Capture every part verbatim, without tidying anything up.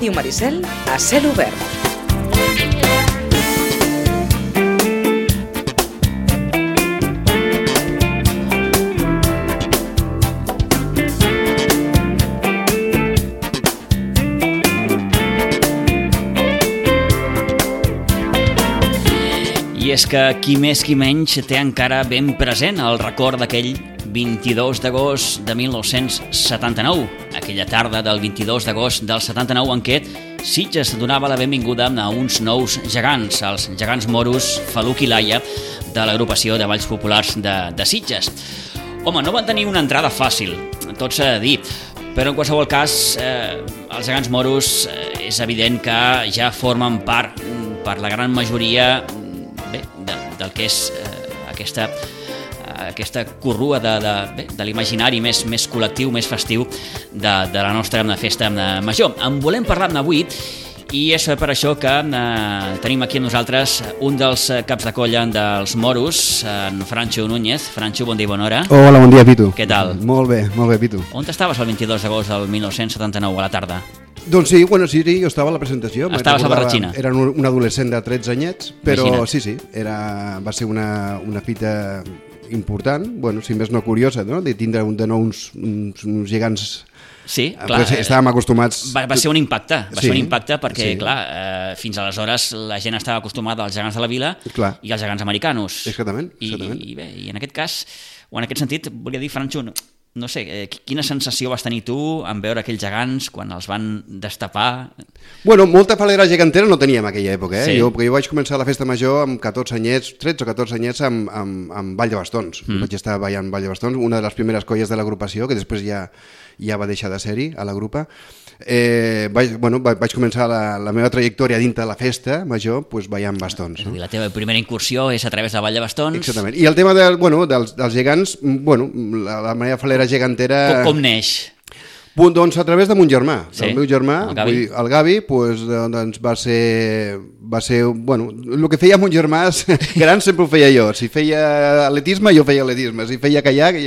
Ràdio Maricel a cel obert. I és que qui més qui menys té encara ben present el record d'aquell vint-i-dos d'agost de mil nou-cents setanta-nou, aquella tarda del vint-i-dos d'agost del setanta-nou en què Sitges donava la benvinguda a uns nous gegants, els gegants moros Faluc i Laia de l'agrupació de Balls Populars de, de Sitges. Home, no van tenir una entrada fàcil, tot s'ha de dir, però en qualsevol cas eh, els gegants moros eh, és evident que ja formen part, per la gran majoria, bé, de, del que és eh, aquesta, eh, aquesta corrua de, de, bé, de l'imaginari més, més col·lectiu, més festiu de, de la nostra festa major. En volem parlar avui i és per això que eh, tenim aquí amb nosaltres un dels caps de colla dels moros, en Francho Núñez. Francho, bon dia i bona hora. Hola, bon dia, Pitu. Què tal? Molt bé, molt bé, Pitu. On estaves el vint-i-dos d'agost del mil nou-cents setanta-nou a la tarda? Doncs sí, bueno, sí, sí, jo estava a la presentació. Estaves a la Barratxina. Era un, un adolescent de tretze anyets, però Imagina't. sí, sí, era, va ser una, una fita important, bueno, si més no curiosa, no? De tindre un, de nou uns, uns, uns gegants. Sí, clar. Pues estàvem acostumats... Va, va ser un impacte, va sí, ser un impacte perquè, sí. clar, eh, fins aleshores la gent estava acostumada als gegants de la vila clar. I als gegants americanos. Exactament, exactament. I, i, bé, I en aquest cas, o en aquest sentit, volia dir, Francho, no sé, eh, quina sensació vas tenir tu en veure aquells gegants quan els van destapar? Bueno, molta falera gegantera no teníem en aquella època, eh? Sí. Jo, perquè jo vaig començar la festa major amb catorze anyets, tretze o catorze anyets amb, amb, amb Ball de Bastons. Mm. Vaig estar ballant Ball de Bastons, una de les primeres colles de l'agrupació, que després ja, ja va deixar de ser-hi a la grupa. Eh, vaig, bueno, vaig començar la, la meva trajectòria dintre de la festa major pues, ballant bastons. És a No? dir, la teva primera incursió és a través de Ball de Bastons. Exactament. I el tema de, bueno, dels, dels gegants, bueno, la, la meva falera gegantera... Com, com neix? Punt, doncs a través de mon germà, Sí, el meu germà, el Gavi. vull dir, el Gavi, pues, doncs va ser, va ser, bueno, el que feia mon germà gran sempre ho feia jo, si feia atletisme jo feia atletisme, si feia caiac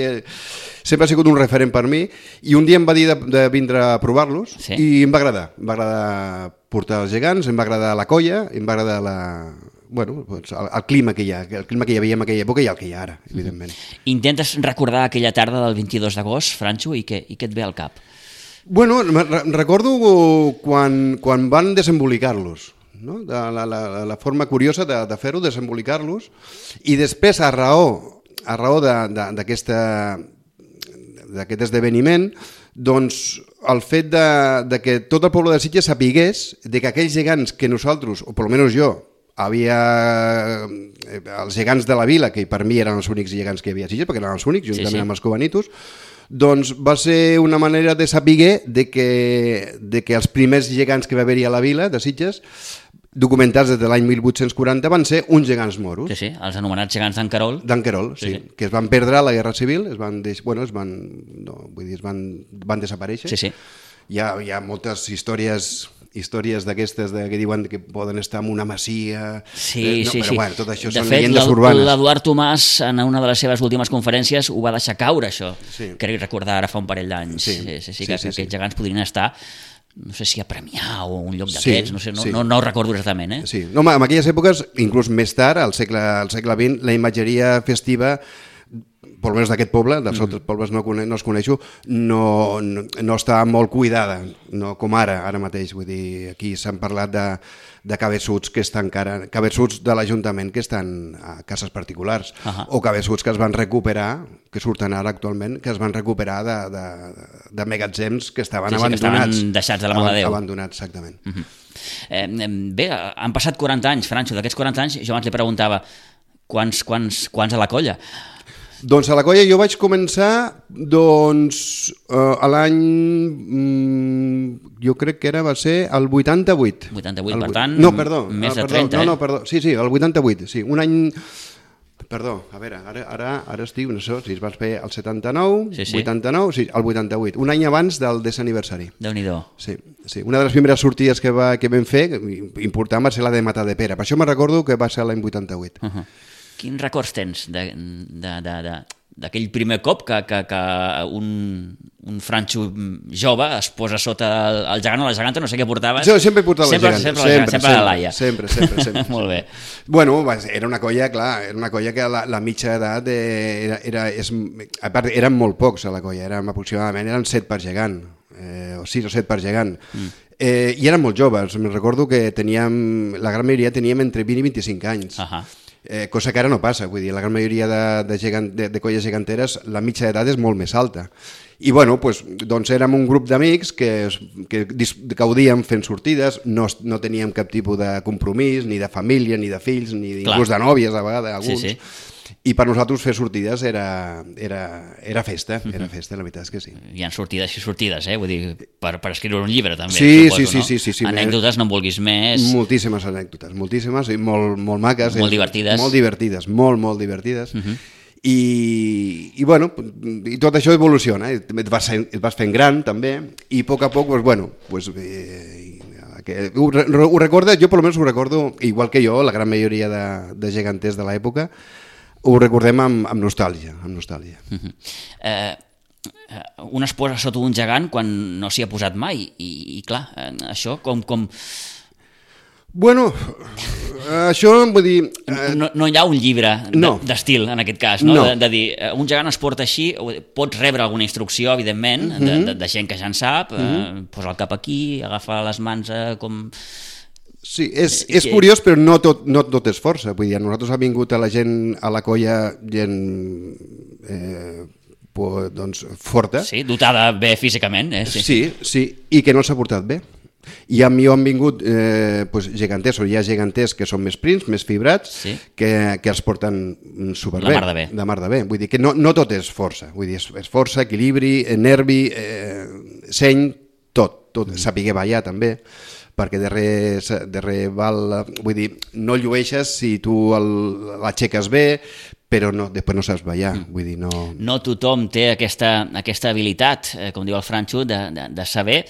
sempre ha sigut un referent per mi i un dia em va dir de, de vindre a provar-los Sí. i em va agradar, em va agradar portar els gegants, em va agradar la colla, em va agradar la... Bueno, doncs el, el clima que hi ha, el clima que hi havia en aquella època i el que hi ha ara, evidentment. Intentes recordar aquella tarda del vint-i-dos d'agost, Francho, i què, i què et ve al cap? Bueno, re- recordo quan, quan van desembolicar-los, no? de la, la, la forma curiosa de, de fer-ho, desembolicar-los, i després, a raó, a raó de, de, d'aquesta, d'aquest esdeveniment, doncs el fet de, de que tot el poble de Sitges sapigués de que aquells gegants que nosaltres, o per almenys jo, havia eh, els gegants de la vila, que per mi eren els únics gegants que hi havia a Sitges, perquè eren els únics, juntament Sí, sí. amb els cobanitos, doncs va ser una manera de saber de que, de que els primers gegants que va haver-hi a la vila de Sitges, documentats des de l'any mil vuit-cents quaranta, van ser uns gegants moros. Sí, sí, els anomenats gegants d'en Querol. D'en Querol, sí, Sí, sí. que es van perdre a la Guerra Civil, es van, deix... bueno, es van, no, vull dir, es van, van desaparèixer. Sí, sí. Hi ha, hi ha moltes històries històries d'aquestes de, que diuen que poden estar en una masia... Sí, eh, no, sí, però, sí. bueno, tot això de són fet, llegendes l'Edu- urbanes. l'Eduard Tomàs, en una de les seves últimes conferències, ho va deixar caure, això. Sí. Crec recordar ara fa un parell d'anys. Sí, Sí, sí, sí, sí, que, sí, que sí. aquests gegants podrien estar, no sé si a Premià o a un lloc Sí, d'aquests, no sé, no, sí. no, no ho recordo exactament, eh? Sí. No, home, en aquelles èpoques, inclús més tard, al segle, al segle vint, la imatgeria festiva, per almenys d'aquest poble, dels altres pobles no, cone- no els coneixo, no, no, no està molt cuidada, no com ara, ara mateix. Vull dir, aquí s'han parlat de, de cabeçuts que estan encara, cabeçuts de l'Ajuntament que estan a cases particulars, Ahà. o cabeçuts que es van recuperar, que surten ara actualment, que es van recuperar de, de, de magatzems que estaven Sí, sí, que abandonats. estaven deixats de la mà de Déu. Abandonats, exactament. Eh, Bé, han passat quaranta anys, Francho, d'aquests quaranta anys, jo abans li preguntava quants, quants, quants a la colla? Doncs a la colla jo vaig començar doncs, eh, a l'any, mm, jo crec que era, va ser el vuitanta-vuit. vuitanta-vuit, El per vuit- tant, no, perdó, més ah, de perdó, trenta, no, eh? no, perdó, sí, sí, el vuitanta-vuit, sí, un any... Perdó, a veure, ara, ara, ara estic, no sé, si es va fer el setanta-nou, Sí, sí. vuitanta-nou, sí, el vuitanta-vuit, un any abans del desè aniversari. Déu-n'hi-do. Sí, sí, una de les primeres sortides que, va, que vam fer, important, va ser la de Matadepera. Per això me recordo que va ser l'any vuitanta-vuit. Uh -huh. Quins records tens de, de, de, de, d'aquell primer cop que, que, que un, un Franxo jove es posa sota el, el gegant o la geganta, no sé què portaves. Jo sempre he portat sempre, la geganta. Sempre, sempre, sempre, sempre la Laia. Sempre, sempre, sempre. Molt bé. Bueno, era una colla, clar, era una colla que la, la mitja edat era, era, és, a part, eren molt pocs a la colla, érem aproximadament, eren set per gegant, eh, o sis o set per gegant. Mm. Eh, I eren molt joves, me'n recordo que teníem, la gran majoria teníem entre vint i vint-i-cinc anys. Uh -huh. Eh, cosa que ara no passa, vull dir, la gran majoria de, de, gegant, de, de colles geganteres la mitja d'edat és molt més alta. I bueno, pues, doncs érem un grup d'amics que, que gaudíem fent sortides, no, no teníem cap tipus de compromís, ni de família, ni de fills, ni inclús de nòvies a vegades, alguns. Sí, sí. I per nosaltres fer sortides era, era, era festa, era festa, la veritat és que sí. Hi ha sortides i sortides, eh? Vull dir, per, per escriure un llibre també, sí, suposo, sí, sí, no? sí, sí, sí. Anècdotes, no en vulguis més. Moltíssimes anècdotes, moltíssimes, i molt, molt maques. Molt divertides. Molt divertides, molt, molt divertides. Uh -huh. I, i bueno, i tot això evoluciona, et vas, et vas fent gran també, i a poc a poc, pues, bueno, pues, eh, que ho, ho recordes, jo per almenys ho recordo, igual que jo, la gran majoria de, de geganters de l'època, ho recordem amb, amb nostàlgia, amb nostàlgia. Uh -huh. eh, un es posa sota un gegant quan no s'hi ha posat mai, i, i clar, això com... com... Bueno, això vull dir... Eh... No, no hi ha un llibre no. d'estil, en aquest cas, no? no. De, de dir, un gegant es porta així, pots rebre alguna instrucció, evidentment, uh -huh. de, de, de gent que ja en sap, uh -huh. eh, posa el cap aquí, agafa les mans eh, com... Sí, és, és curiós, però no tot, no tot és força. Vull dir, a nosaltres ha vingut a la gent, a la colla, gent eh, pues, doncs, forta. Sí, dotada bé físicament. Eh? Sí. sí, sí, i que no s'ha portat bé. I a mi han vingut eh, pues, geganters, o hi ha geganters que són més prims, més fibrats, sí. que, que els porten superbé. De mar de bé. De mar de bé. Vull dir que no, no tot és força. Vull dir, és, és força, equilibri, nervi, eh, seny, tot. tot. Mm. Sapiguer ballar també, perquè darrere, darrere val, vull dir, no llueixes si tu l'aixeques bé, però no, després no saps ballar, mm. vull dir, no... No tothom té aquesta, aquesta habilitat, eh, com diu el Franxo, de, de, de saber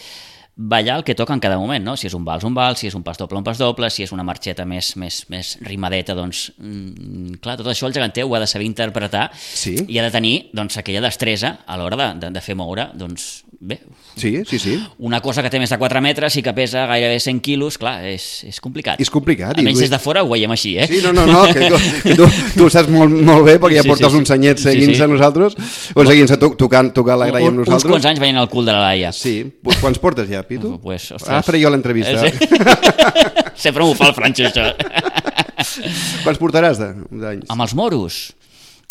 ballar el que toca en cada moment, no? Si és un vals, un vals, si és un pas doble, un pas doble, si és una marxeta més, més, més rimadeta, doncs, mm, clar, tot això el geganter ho ha de saber interpretar sí. i ha de tenir, doncs, aquella destresa a l'hora de, de, de fer moure, doncs, bé... Sí, sí, sí. Una cosa que té més de quatre metres i que pesa gairebé cent quilos, clar, és, és complicat. És complicat. Almenys des de fora ho veiem així, eh? Sí, no, no, no, que tu, que tu, tu ho saps molt, molt bé, perquè ja sí, portes sí, sí. uns anyets seguint-se sí, sí. a nosaltres, o seguint-se tocant, tocant la graia amb nosaltres. Uns quants anys veient el cul de la Laia. Sí, quants portes ja, Pitu? Pues, ah, faré jo l'entrevista. Sí. Sempre m'ho fa el Franxo, això. Quants portaràs d'anys? Amb els moros?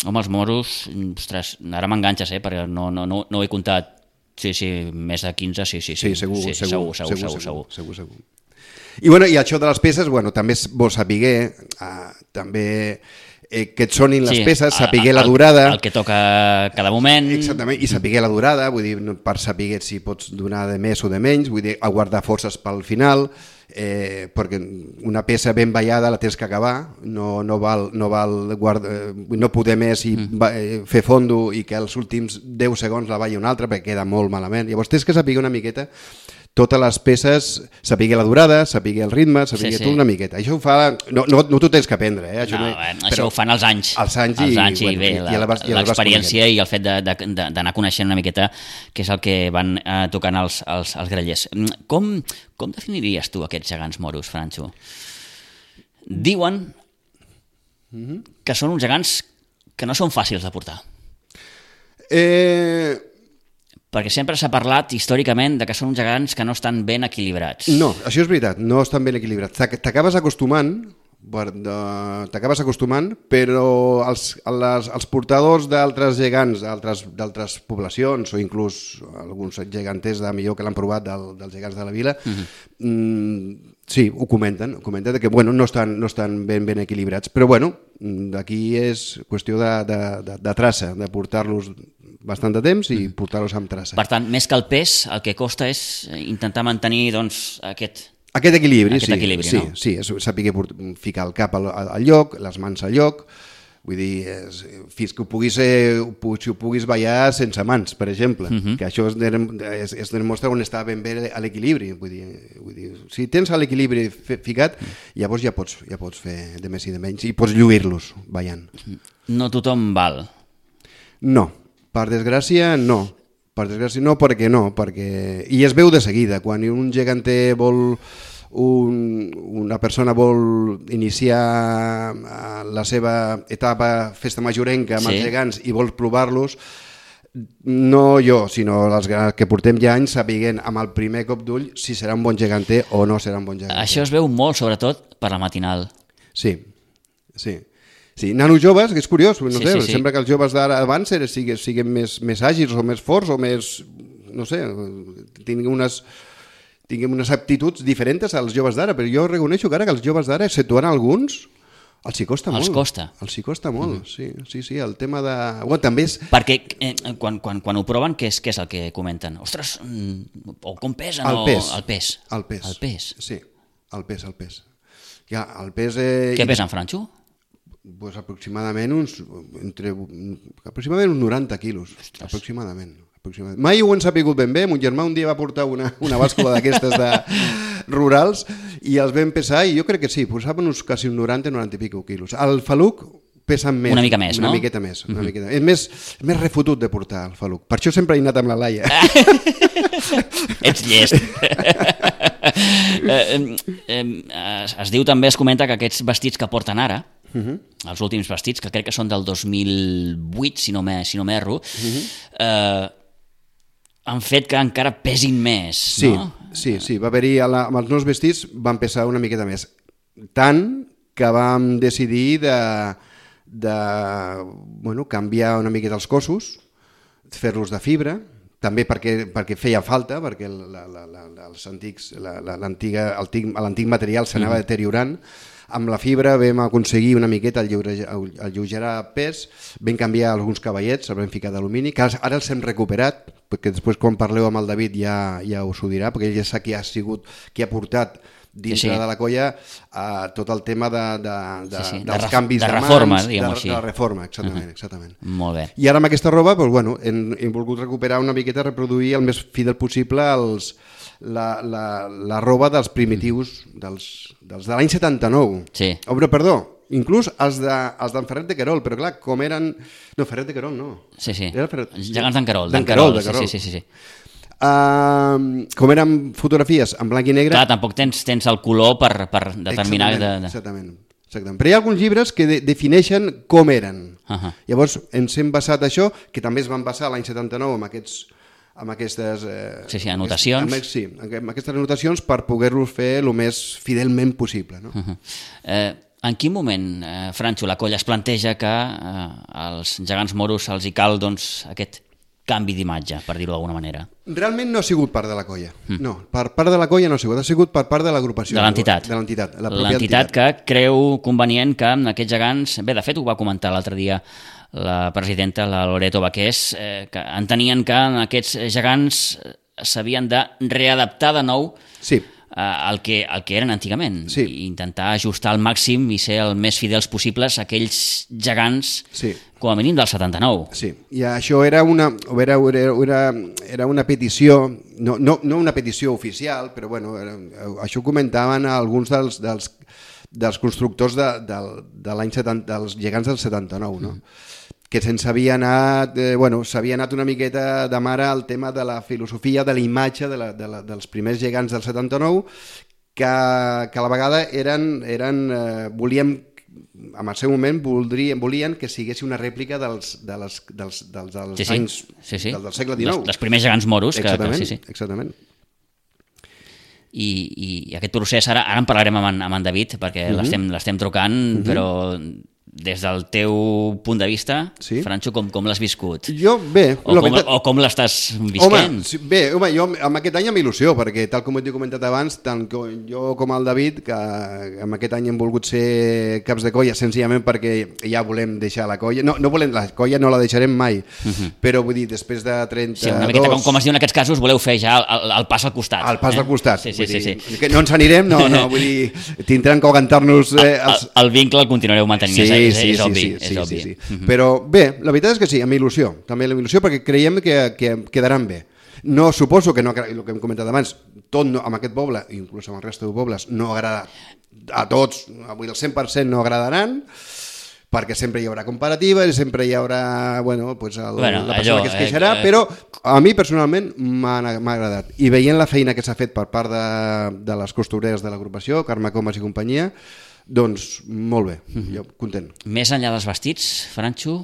Amb els moros, ostres, ara m'enganxes, eh, perquè no, no, no, no ho he comptat. Sí, sí, més de quinze, sí, sí. Sí, segur, sí, segur, segur, segur, segur, segur, segur, segur, segur. I, bueno, i això de les peces, bueno, també és bo saber, eh, també eh, que et sonin les sí, peces, saber el, la durada... El que toca cada moment... Exactament, i saber la durada, vull dir, per saber si pots donar de més o de menys, vull dir, aguardar forces pel final, eh, perquè una peça ben ballada la tens que acabar, no, no val, no, val guarda, no poder més i mm. va, eh, fer fondo i que els últims deu segons la balli una altra perquè queda molt malament. Llavors tens que saber una miqueta totes les peces, saber la durada, saber el ritme, saber sí, sí. tot una miqueta. Això ho fa... No, no, no t'ho tens que aprendre, eh? Això, no, no, bueno, això ho fan els anys. Els anys i, els anys i, bueno, bé, i, i l'experiència i el fet d'anar coneixent una miqueta què és el que van eh, tocant els, els, els grellers. Com, com definiries tu aquests gegants moros, Franxo? Diuen que són uns gegants que no són fàcils de portar. Eh... Perquè sempre s'ha parlat històricament de que són uns gegants que no estan ben equilibrats. No, això és veritat, no estan ben equilibrats. T'acabes acostumant, t'acabes acostumant, però els, les, els portadors d'altres gegants, d'altres poblacions, o inclús alguns geganters de millor que l'han provat del, dels gegants de la vila, uh-huh. mm, sí, ho comenten, ho comenten que bueno, no estan, no estan ben, ben equilibrats, però bueno, d'aquí és qüestió de, de, de, de traça, de portar-los bastant de temps i portar-los amb traça. Per tant, més que el pes, el que costa és intentar mantenir doncs, aquest... Aquest equilibri, aquest sí, equilibri sí, no? sí, saber ficar el cap al, al lloc, les mans al lloc, vull dir, és, fins que ho puguis, eh, si ho puguis ballar sense mans, per exemple, uh-huh. que això es, es, es demostra on està ben bé l'equilibri, vull dir, vull dir, si tens l'equilibri ficat, llavors ja pots, ja pots fer de més i de menys, i pots lluir-los ballant. No tothom val. No, per desgràcia no. Per desgràcia no, perquè no, perquè... I es veu de seguida, quan un geganter vol... Un, una persona vol iniciar la seva etapa festa majorenca amb sí. els gegants i vol provar-los, no jo, sinó els que portem ja anys sapiguent amb el primer cop d'ull si serà un bon geganter o no serà un bon geganter. Això es veu molt, sobretot, per la matinal. Sí, sí. Sí, nanos joves, que és curiós, no sí, sé, sí, sí. sembla que els joves d'ara abans siguin, siguin més, més àgils o més forts o més, no sé, tinguin unes, tinguin unes aptituds diferents als joves d'ara, però jo reconeixo que ara que els joves d'ara, exceptuant alguns, els hi costa els molt. Costa. Els hi costa molt. Mm-hmm. sí, sí, sí, el tema de... Bueno, també és... Perquè eh, quan, quan, quan ho proven, què és, què és el que comenten? Ostres, mm, o com pesen? El pes. O... El pes. El pes. El pes. Sí, el pes, el pes. Ja, el pes... Eh... Què pesa en Franxo? Pues aproximadament uns entre aproximadament uns noranta quilos. Ostres. Aproximadament. aproximadament. Mai ho hem sapigut ben bé. Mon germà un dia va portar una, una bàscula d'aquestes de rurals i els vam pesar i jo crec que sí, posaven uns quasi uns noranta, noranta i pico quilos. El faluc pesa més. Una mica més, una no? Miqueta més, una mm-hmm. miqueta. És més, més refotut de portar el faluc. Per això sempre he anat amb la Laia. Ets llest. eh, eh, es, es diu també, es comenta que aquests vestits que porten ara, uh-huh. els últims vestits, que crec que són del dos mil vuit, si no m'erro, uh-huh. eh, han fet que encara pesin més, sí, no? Sí, sí, va haver-hi, amb els nous vestits van pesar una miqueta més. Tant que vam decidir de, de bueno, canviar una miqueta els cossos, fer-los de fibra, també perquè, perquè feia falta, perquè la, la, la, els antics, la, la, l'antic material s'anava deteriorant. Amb la fibra vam aconseguir una miqueta alleugerar pes, vam canviar alguns cavallets, els vam ficar d'alumini, que ara els hem recuperat, perquè després quan parleu amb el David ja, ja us ho dirà, perquè ell ja sap qui ha sigut, qui ha portat dintre sí, sí. de la colla uh, tot el tema de, de, de, sí, sí. dels de canvis de, de reforma, mans, de, de la reforma, exactament, uh-huh. exactament. Molt bé. I ara amb aquesta roba doncs, bueno, hem, hem volgut recuperar una miqueta, reproduir el més fidel possible els, la, la, la roba dels primitius, dels, dels de l'any setanta-nou. Sí. Oh, però, perdó, inclús els d'en de, Ferret de Querol, però clar, com eren... No, Ferret de Querol no. Sí, sí, Era Ferret... els gegants d'en Querol. D'en Querol, de Querol. Sí, sí, sí. sí. Uh, com eren fotografies en blanc i negre... Clar, tampoc tens, tens el color per, per determinar... Exactament, de, de... exactament, exactament. Però hi ha alguns llibres que de, defineixen com eren. Uh-huh. Llavors ens hem basat això, que també es van basar l'any setanta-nou amb aquests... amb aquestes... Eh, sí, sí, anotacions. Amb, sí, amb aquestes anotacions per poder-los fer el més fidelment possible. No? Uh-huh. eh, en quin moment, eh, Franxo, la colla es planteja que eh, als gegants moros els hi cal doncs, aquest canvi d'imatge, per dir-ho d'alguna manera? Realment no ha sigut part de la colla. Mm. No, per part de la colla no ha sigut, ha sigut per part de l'agrupació. De l'entitat. De l'entitat. La l'entitat que creu convenient que aquests gegants... Bé, de fet, ho va comentar l'altre dia la presidenta, la Loreto Baqués, eh, que entenien que aquests gegants s'havien de readaptar de nou sí. al que, el que eren antigament, sí. i intentar ajustar al màxim i ser el més fidels possibles a aquells gegants, sí. com a mínim del setanta-nou. Sí, i això era una, era, era, era una petició, no, no, no una petició oficial, però bueno, era, això ho comentaven alguns dels, dels, dels constructors de, de, de l'any setanta, dels gegants del setanta-nou, no? Mm. que se'ns havia anat, eh, bueno, s'havia anat una miqueta de mare al tema de la filosofia, de la imatge de la, de la, dels primers gegants del setanta-nou, que, que a la vegada eren, eren eh, volíem, en el seu moment voldrien, volien que sigués una rèplica dels, de les, dels, dels, dels sí, sí. anys sí, sí. Del, del segle dinou. Els, els primers gegants moros. Exactament, que, que, sí, sí. exactament. I, i aquest procés, ara, ara en parlarem amb en, amb en David, perquè uh-huh. l'estem, l'estem trucant, uh-huh. però... des del teu punt de vista, sí? Franxo, com, com l'has viscut? Jo, bé... O com, veritat... o com l'estàs visquent? Home, bé, home, jo amb aquest any amb il·lusió, perquè tal com he comentat abans, tant jo com el David, que amb aquest any hem volgut ser caps de colla, senzillament perquè ja volem deixar la colla. No, no volem, la colla no la deixarem mai, uh-huh. però vull dir, després de trenta-dos... Sí, una miqueta, com, com es diu en aquests casos, voleu fer ja el, el pas al costat. El pas eh? al costat. Sí, sí, sí, dir, sí. Que no ens anirem, no, no, vull dir, tindran que aguantar-nos... Eh, els... el, el vincle el continuareu mantenint, sí, és, sí, és obvi. Sí, és sí, obvi. sí, sí. Uh-huh. Però bé, la veritat és que sí, amb il·lusió, també amb il·lusió, perquè creiem que, que quedaran bé. No suposo que, no, el que hem comentat abans, tot no, amb aquest poble, inclús amb el resta de pobles, no agrada a tots, avui el cent per cent no agradaran, perquè sempre hi haurà comparatives i sempre hi haurà, bueno, pues el, bueno, la persona allò, que es queixarà, eh, eh, però a mi personalment m'ha agradat. I veient la feina que s'ha fet per part de, de les costureres de l'agrupació, Carme Comas i companyia, doncs molt bé, jo content. Més enllà dels vestits, Franxo,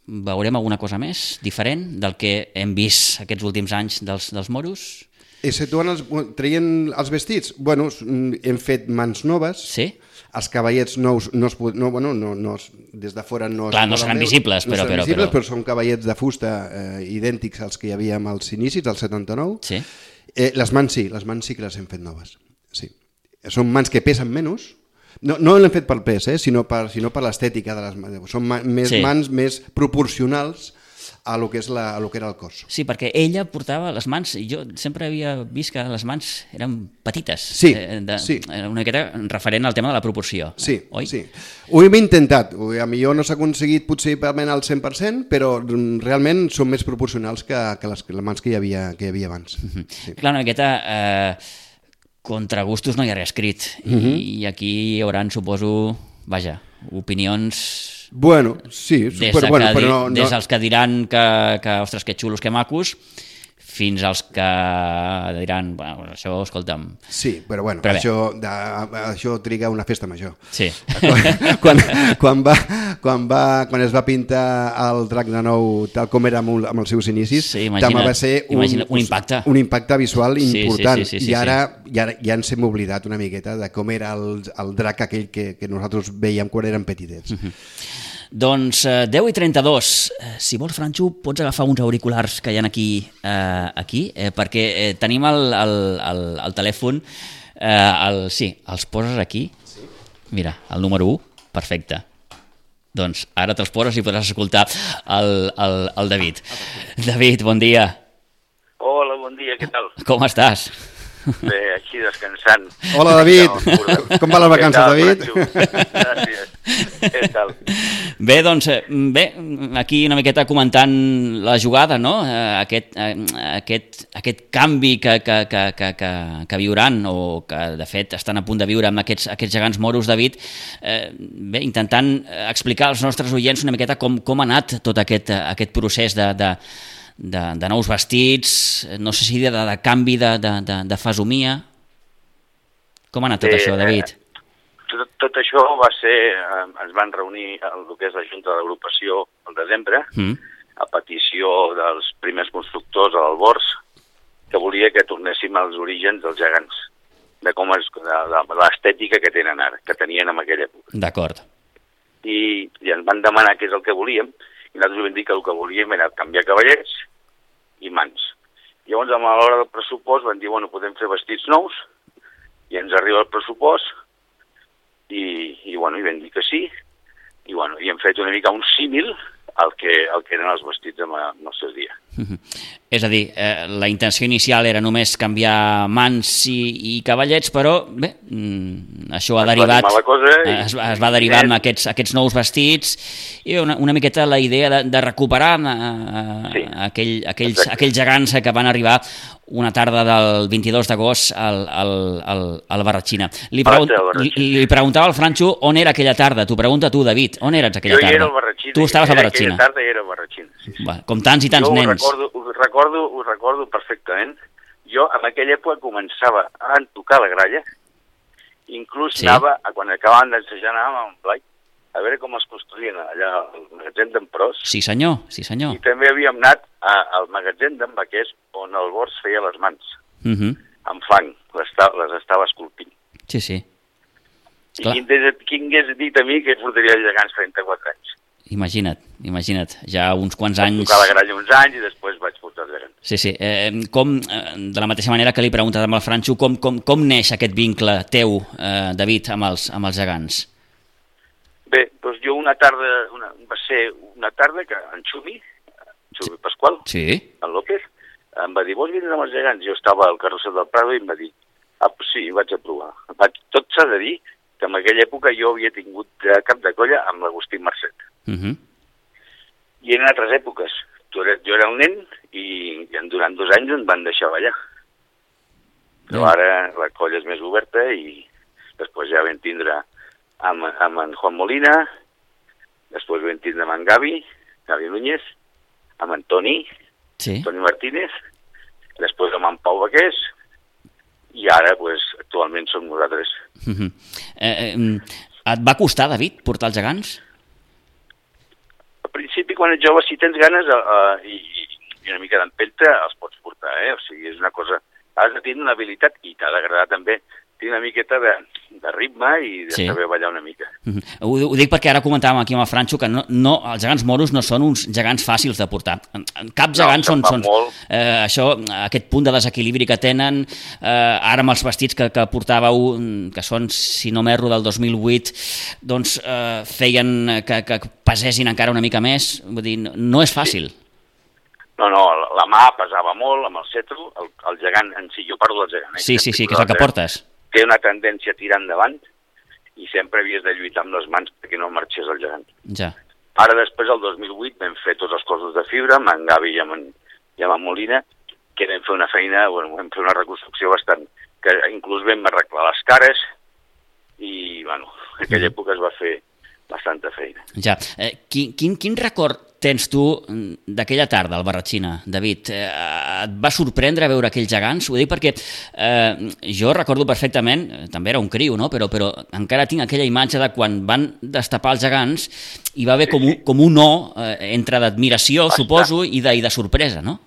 veurem alguna cosa més diferent del que hem vist aquests últims anys dels, dels moros? Exceptuant els, traient els vestits, bueno, hem fet mans noves, sí? Els cavallets nous no es, no, bueno, no, no, des de fora no, Clar, no seran visibles, no però, seran però, visibles, però... però són cavallets de fusta eh, idèntics als que hi havia als inicis del setanta-nou. Sí. Eh, les mans sí, les mans sí que les hem fet noves. Sí. Són mans que pesen menys. No, no l'hem fet pel pes, eh, sinó per, sinó per l'estètica de les mans. Són ma més sí. mans més proporcionals a lo que és la, a lo que era el cos. Sí, perquè ella portava les mans, jo sempre havia vist que les mans eren petites. Sí, eh, de, sí. Era una miqueta referent al tema de la proporció. Sí, oi? sí. Ho hem intentat. A millor no s'ha aconseguit potser al cent per cent, però realment són més proporcionals que, que les, les mans que hi havia, que hi havia abans. Uh-huh. Sí. Clar, una miqueta... Eh, contra gustos no hi ha res escrit. Uh-huh. I aquí hi haurà, suposo, vaja, opinions... Bueno, sí, des, però, bueno, que, però no, no... des dels que diran que, que ostres, que xulos, que macos, fins als que diran, bueno, això, escolta'm... Sí, però bueno, però això, de, això triga una festa major. Sí. Quan, quan, quan, va, quan, va, quan es va pintar el drac de nou tal com era amb, amb els seus inicis, sí, imagina't, també va ser un, un impacte. un impacte visual important. Sí, sí, sí, sí, I ara sí. ja, ja ens hem oblidat una miqueta de com era el, el drac aquell que, que nosaltres veiem quan érem petitets. Uh-huh. Doncs eh, deu i trenta-dos, eh, si vols, Franxo, pots agafar uns auriculars que hi ha aquí, eh, aquí eh, perquè eh, tenim el, el, el, el telèfon, eh, el, sí, els poses aquí, sí. Mira, el número u, perfecte. Doncs ara te'ls poses i podràs escoltar el, el, el David. David, bon dia. Hola, bon dia, què tal? Com estàs? Bé, així descansant. Hola, David. Com van les vacances, David? Gràcies. Què tal? Bé, doncs, bé, aquí una miqueta comentant la jugada, no? Aquest, aquest, aquest canvi que, que, que, que, que, que viuran, o que de fet estan a punt de viure amb aquests, aquests gegants moros, David, eh, bé, intentant explicar als nostres oients una miqueta com, com ha anat tot aquest, aquest procés de, de, de, de nous vestits, no sé si de, de canvi de, de, de, de fesomia. Com ha anat tot Bé, això, David? Tot, tot això va ser... Eh, ens van reunir el que és la Junta de l'Agrupació al desembre, mm. a petició dels primers constructors a l'Albors, que volia que tornéssim als orígens dels gegants, de com és, de, de l'estètica que tenen ara, que tenien en aquella època. D'acord. I, I ens van demanar què és el que volíem, i nosaltres vam dir que el que volíem era canviar cavallets i mans. Llavors, a l'hora del pressupost, van dir, bueno, podem fer vestits nous, i ens arriba el pressupost, i, i bueno, i vam dir que sí, i bueno, i hem fet una mica un símil al que, al que eren els vestits en el seu dia. Uh-huh. És a dir, eh, la intenció inicial era només canviar mans i, i cavallets, però bé, mm, això ha es derivat, va cosa i, es, es va derivar amb aquests, aquests nous vestits i una, una miqueta la idea de, de recuperar eh, sí, aquell, aquells, aquells gegants que van arribar una tarda del vint-i-dos d'agost al, al, al, al Barratxina. Li, pregun li, li preguntava al Franxo on era aquella tarda. T'ho pregunta tu, David. On eres aquella tarda? Jo hi era al Barratxina. Tu estaves al Barratxina. Aquella tarda hi era al Barratxina. Sí, sí. Va, com tants i tants jo nens. Ho recordo, ho, recordo, ho recordo perfectament. Jo en aquella època començava a tocar la gralla, inclús sí. anava, a quan acabàvem d'ensejar, anàvem amb Blai, a veure com es construïen allà al magatzem d'en Pros. Sí senyor, sí senyor. I també havíem anat a, al magatzem d'en Baquers, on el Bors feia les mans. Uh -huh. amb fang, les, les estava esculpint. Sí, sí. I quin, quin hagués dit a mi que portaria gegants trenta-quatre anys? Imagina't, imagina't, ja uns quants anys... Vaig tocar la gralla uns anys i després vaig portar gegants. Sí, sí. Eh, com, de la mateixa manera que li he preguntat amb el Franxo, com, com, com neix aquest vincle teu, eh, David, amb els, amb els gegants? Bé, doncs jo una tarda, una, va ser una tarda que en Xumi, Xumi Pasqual, sí. en López, em va dir, vols vindre amb els gegants? Jo estava al carrusel del Prado i em va dir, ah, pues sí, vaig a provar. Tot s'ha de dir que en aquella època jo havia tingut cap de colla amb l'Agustí Marcet. Uh -huh. I eren altres èpoques. Jo era, jo era el nen i, i durant dos anys em van deixar ballar. Però uh -huh. ara la colla és més oberta i després ja vam tindre amb, amb en Juan Molina, després vam tindre amb en Gavi, Gavi Núñez, amb en Toni, sí. Toni Martínez, després amb en Pau Baqués, i ara, pues, actualment som nosaltres. Uh-huh. eh, eh, et va costar, David, portar els gegants? Al principi, quan ets jove, si tens ganes uh, i, i una mica d'empenta, els pots portar, eh? O sigui, és una cosa... Has de tenir una habilitat i t'ha d'agradar també tenir una miqueta de, de ritme i de sí. saber ballar una mica. Uh-huh. Ho, ho dic perquè ara comentàvem aquí amb el Franxo que no, no, els gegants moros no són uns gegants fàcils de portar. Cap gegant no, són... són eh, això, aquest punt de desequilibri que tenen, eh, ara amb els vestits que, que portàveu, que són, si no m'erro, del dos mil vuit, doncs eh, feien que, que pesessin encara una mica més. Vull dir, no és fàcil. Sí. No, no, la mà pesava molt amb el cetro, el, el gegant en si, jo parlo del gegant. Eh? Sí, sí, sí, que és el que portes. Té una tendència a tirar endavant i sempre havies de lluitar amb les mans perquè no marxés el gegant. Ja. Ara, després, el dos mil vuit, vam fer tots els cossos de fibra, amb en Gavi i amb en, i amb en Molina, que vam fer una feina, bueno, vam fer una reconstrucció bastant, que inclús vam arreglar les cares i, bueno, en aquella època es va fer bastanta feina. Ja. Eh, quin, quin, quin record tens tu d'aquella tarda al Barratxina, David? Eh, et va sorprendre veure aquells gegants? Ho dic perquè eh, jo recordo perfectament, també era un criu, no? però, però encara tinc aquella imatge de quan van destapar els gegants i va haver com un, com un no eh, entre d'admiració, suposo, i de, i de sorpresa, no?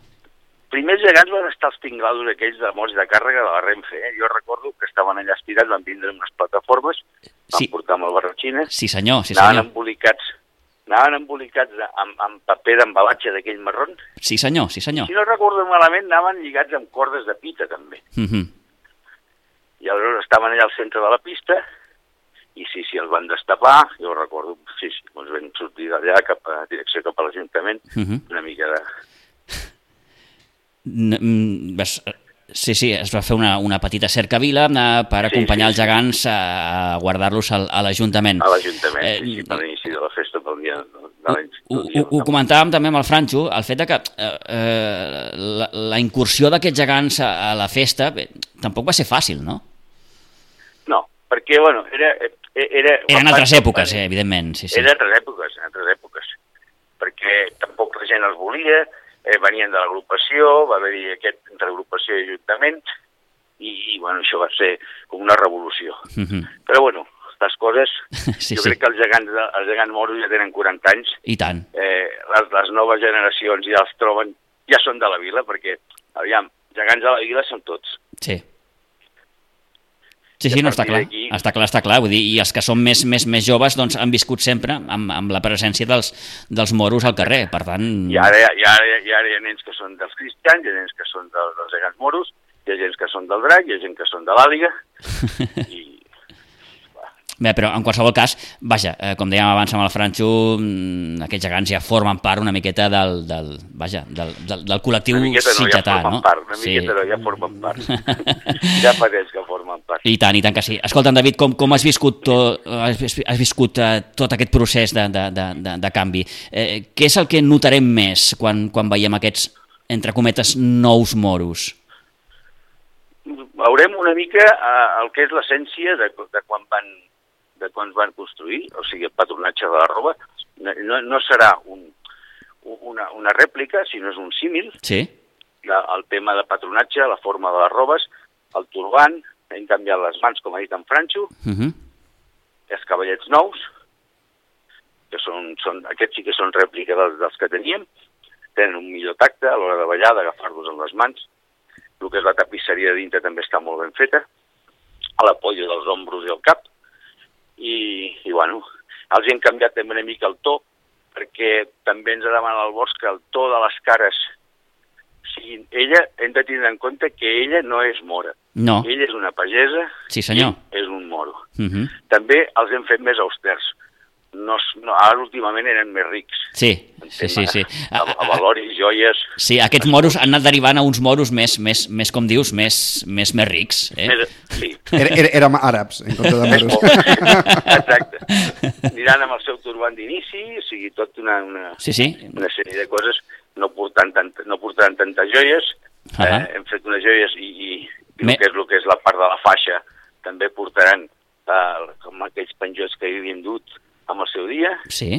Primers gegants van estar els tinglados aquells de mots de càrrega de la Renfe. Eh? Jo recordo que estaven allà estirats, van vindre unes plataformes, van sí. portar amb el Barratxina, sí, senyor, sí, senyor. anaven embolicats anaven embolicats amb, amb paper d'embalatge d'aquell marrón. Sí, senyor, sí, senyor. Si no recordo malament, anaven lligats amb cordes de pita, també. Uh-huh. I aleshores estaven allà al centre de la pista, i sí, sí, els van destapar, jo recordo, sí, sí, doncs vam sortir d'allà cap a direcció cap a l'Ajuntament, uh-huh. una mica de... Vas... Sí, sí, es va fer una, una petita cercavila per acompanyar sí, sí, els gegants a, a guardar-los a, a l'Ajuntament. A l'Ajuntament, eh, sí, sí, per l'inici de la festa, pel dia de l'any. Ho, ho, ho comentàvem també amb el Franxo, el fet de que eh, la, la incursió d'aquests gegants a, a la festa bé, tampoc va ser fàcil, no? No, perquè, bueno, era... era Eren altres èpoques, eh, evidentment. Sí, sí. Eren altres èpoques, altres èpoques, perquè tampoc la gent els volia, eh, venien de l'agrupació, va haver-hi aquest entre agrupació i ajuntament, i, i bueno, això va ser com una revolució. Uh-huh. Però bueno, les coses, sí, jo sí. crec que els gegants, els gegants moros ja tenen quaranta anys. I tant. Eh, les, les noves generacions ja els troben, ja són de la vila, perquè, aviam, gegants de la vila són tots. Sí. Sí, sí, no, està clar, està clar, està clar, vull dir, i els que són més, més, més joves doncs, han viscut sempre amb, amb la presència dels, dels moros al carrer, per tant... I ara, i, ara, I ara hi ha nens que són dels cristians, hi ha nens que són dels, dels gegants moros, hi ha gent que són del drac, hi ha gent que són de l'àliga, i... Bé, però en qualsevol cas, vaja, eh, com dèiem abans amb el Franxo, aquests gegants ja formen part una miqueta del, del, vaja, del, del, del col·lectiu sitgetà, no? Ja part, una sí. miqueta no, ja formen part. Ja fa temps que formen part. I tant, i tant que sí. Escolta'm, David, com, com has viscut, to, has, has viscut uh, tot aquest procés de, de, de, de, de canvi? Eh, què és el que notarem més quan, quan veiem aquests, entre cometes, nous moros? Veurem una mica uh, el que és l'essència de, de quan van de quan es van construir, o sigui, el patronatge de la roba, no, no serà un, una, una rèplica, sinó és un símil. Sí. La, el tema de patronatge, la forma de les robes, el turbant, hem canviat les mans, com ha dit en Franxo, uh-huh. els cavallets nous, que són, són, aquests sí que són rèplica dels, dels que teníem, tenen un millor tacte a l'hora de ballar, d'agafar-los amb les mans. El que és la tapisseria de dintre també està molt ben feta, a la polla dels ombros i el cap, i, i bueno, els hem canviat també una mica el to, perquè també ens ha demanat el Bosch que el to de les cares siguin... Ella, hem de tenir en compte que ella no és mora. No. Ella és una pagesa, sí, senyor. I és un moro. Uh-huh. També els hem fet més austers. No, no, ara últimament eren més rics. Sí, sí, sí, sí. A, a valoris, joies... Sí, aquests moros han anat derivant a uns moros més, més, més com dius, més, més, més rics. Eh? Més, sí. Era, era, érem àrabs, en compte de moros. Exacte. Aniran amb el seu turbant d'inici, o sigui, tot una, una, sí, sí. una sèrie de coses, no portant, tant, no portaran tantes joies, uh-huh. eh, hem fet unes joies i, i, i Me... el, que és, el que és la part de la faixa també portaran eh, com aquells penjots que havíem dut amb el seu dia. Sí.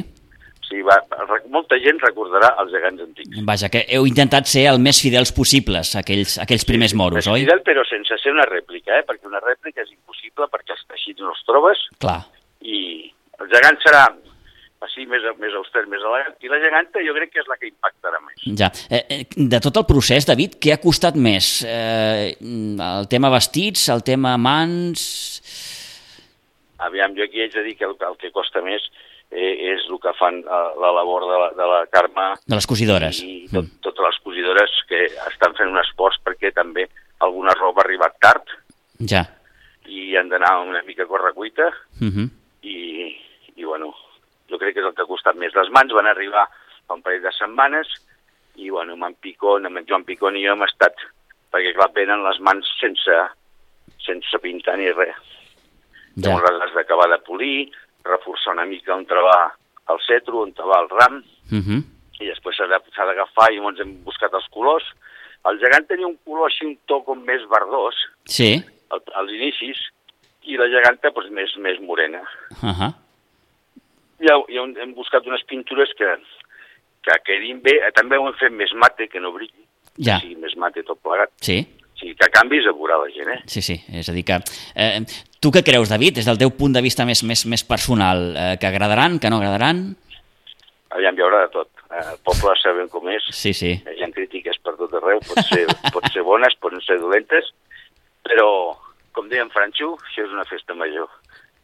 molta gent recordarà els gegants antics. Vaja, que heu intentat ser el més fidels possibles, aquells, aquells primers moros, sí, oi? Fidel, però sense ser una rèplica, eh? Perquè una rèplica és impossible, perquè els teixits no els trobes. Clar. I el gegant serà així més, més auster, més elegant, i la geganta jo crec que és la que impactarà més. Ja. Eh, de tot el procés, David, què ha costat més? Eh, el tema vestits, el tema mans... Aviam, jo aquí haig de dir que el, el que costa més eh, és el que fan eh, la labor de la, de la Carme... De les cosidores. I tot, mm. totes les cosidores que estan fent un esforç perquè també alguna roba ha arribat tard. Ja. I han d'anar una mica a correcuita. Uh -huh. I, i, bueno, jo crec que és el que ha costat més. Les mans van arribar fa un parell de setmanes i, bueno, amb en Picón, amb en Joan Picón i jo hem estat, perquè clar, venen les mans sense, sense pintar ni res. Ja. Llavors les has d'acabar de polir, reforçar una mica on trobar el cetro, on trobar el ram, uh -huh. i després s'ha d'agafar i llavors hem buscat els colors. El gegant tenia un color així, un to com més verdós, sí. al, als inicis, i la geganta doncs, més, més morena. Uh -huh. I, i hem buscat unes pintures que, que quedin bé, també ho hem fet més mate, que no brilli, ja. que sigui més mate tot plegat. Sí. O sigui, que canvis a veure la gent, eh? Sí, sí, és a dir que... Eh, tu què creus, David, des del teu punt de vista més, més, més personal? Eh, que agradaran, que no agradaran? Aviam, hi haurà de tot. El poble sabem com és. Sí, sí. Hi ha crítiques per tot arreu, pot ser, pot ser bones, poden ser dolentes, però, com deia en Franxo, això és una festa major.